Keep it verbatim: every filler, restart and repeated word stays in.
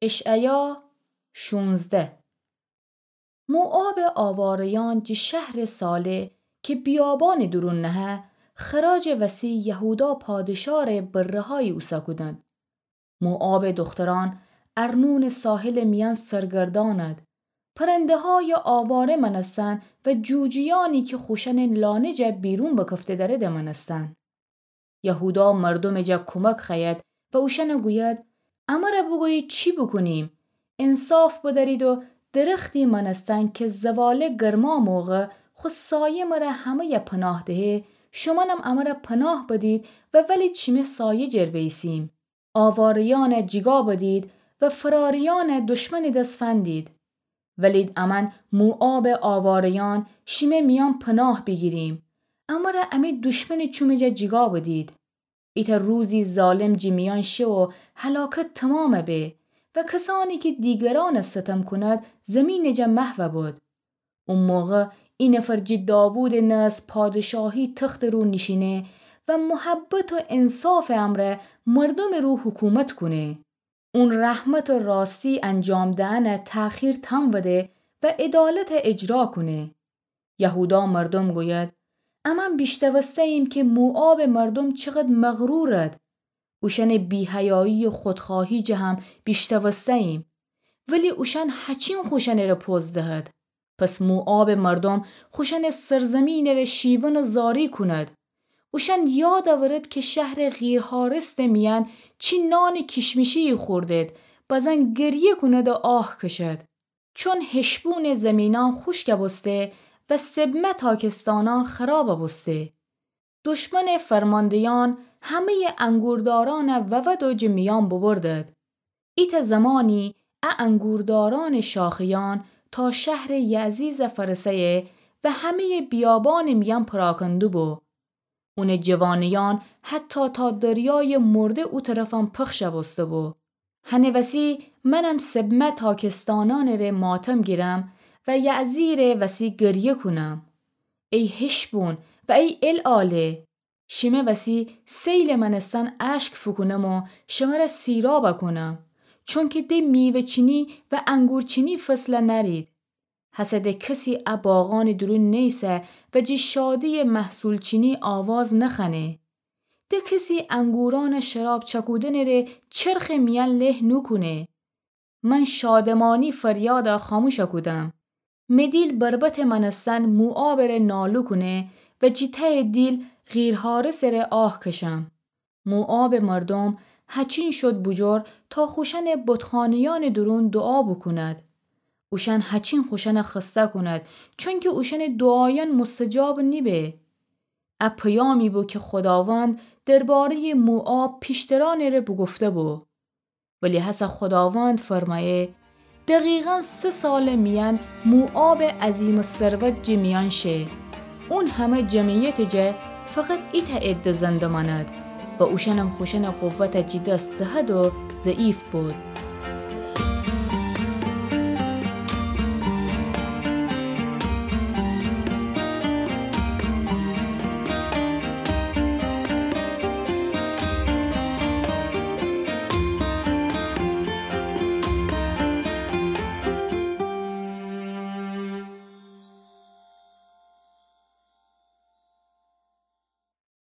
اشعیا شونزده. موآبٚ آواره‌یأن جٚه شهرٚ صالح کی بیابانٚ دورون نهه، خراجٚ وسی یهودا پادشاهٚ بره‌هایی اوسه کودند. موآبٚ دوخترأن ارنونٚ ساحلٚ میأن سرگردأنند. پرنده‌هایٚ آواره مأنستن و جوجویأنی کی خوشأنٚ لانه جا بیرون بکفته دأرده مأنستن. یهودا مردومٚ جا کومک خوأید و اوشأن گوید، امر بوگویید چی بوکونیم؟ انصاف بدأرید و درختی مأنستن کی زواله گرما موقع خو سایه مر همه‌یه پناه دهه، شومأنم امر پناه بدید و ولید شیمه سایه جر بیسیم. آواره‌یأن جیگا بدید و فراریأن دشمنٚ دس فندید. ولید امأن موآبٚ آواره‌یأن شیمه میأن پناه بیگیریم. امر امی دشمنٚ چومٚ جا جیگا بدید. ایتأ روزی ظالم جٚه میأن شه و هلاکت تومام به و کسأنی کی دیگرأن ستم کونید زیمینٚ جا محو بود. او موقع ای نفر جٚه داوودٚ نسل پادشاهی تختٚ رو نیشینه و محبت و انصافٚ امرأ مردومٚ رو حکومت کونه. اون رحمت و راستی انجام دئنٚ تأخیر تمبده و عدالت اجرا کونه. یهودا مردوم گوید، امأن بیشتوسته‌ییم کی موآبٚ مردوم چقد مغرورد. اوشأنٚ بی‌حیایی و خودخواهی جه هم بیشتوسته‌ییم. ولی اوشأن هچین خوشأنٚ ره پوز دهد. پس موآبٚ مردوم خوشأنٚ سرزیمینٚ ره شیون و زاری کونید. اوشأن یاد اورید کی شهرٚ غیرحارستٚ میأن چی نانٚ کیشمیشی‌یی خوردید، بزن گریه کونید و آه کشید. چون حشبونٚ زیمینأن خوشک بوسته و سبمه تاکستانأن خراب بوسته. دشمنٚ فرمانده‌یأن همه‌یٚ انگوردارأن وود و جٚه میأن ببردید. ایتأ زمانی ا انگوردارأنٚ شاخه‌یأن تا شهرٚ یعزیز فأرسه‌یه و همه‌یٚ بیابانٚ میأن پراکندوبو. اونٚ جوانه‌یأن حتی تا دریایٚ مرده او طرفأن پخش بوسته‌بو. هنٚ وسی منم سبمه تاکستانأنٚ ره ماتم گیرم و یعزیرٚ وسی گریه کونم. ای حشبون و ای العاله! شیمه وسی سیلٚ مأنستن اشک فوکونم و شمر سیراب کونم، چونکی د میوه‌چینی و انگورچینی فصل نأرید. هسه د کسی ا باغأنٚ دورون نیسه و جٚه شادی‌یٚ محصول‌چینی آواز نخوأنه. د کسی انگورأن شراب چکودنٚ ره چرخٚ میأن له نوکونه. من شادمانی فریاد خاموش کودم. مدیل بربطٚ مأنستن موآبٚ ره نالو کونه و جٚه تهٚ دیل غیرحارسٚ ره آه کشم. موآبٚ مردوم هچین شد بوجور تا خوشأنٚ بتخانه‌یأنٚ دورون دوعا بوکوند. اوشأن هچین خوشأن خسته کوند، چونکی اوشأنٚ دوعایأن مستجاب نیبه. ا پیامی بو کی خوداوند درباره‌یٚ موآب پیشترأنٚ ره بوگفته‌بو. ولی هسه خوداوند فرمأیه، دقیقاً سه سالٚ میأن موآبٚ عظیم‌الثروت جٚه میأن شه. اون همه جمعیتٚ جا فقط ایتأ عده زنده مأند و اوشأنم خوشأنٚ قوت جٚه دس دهد و ضعیف بود.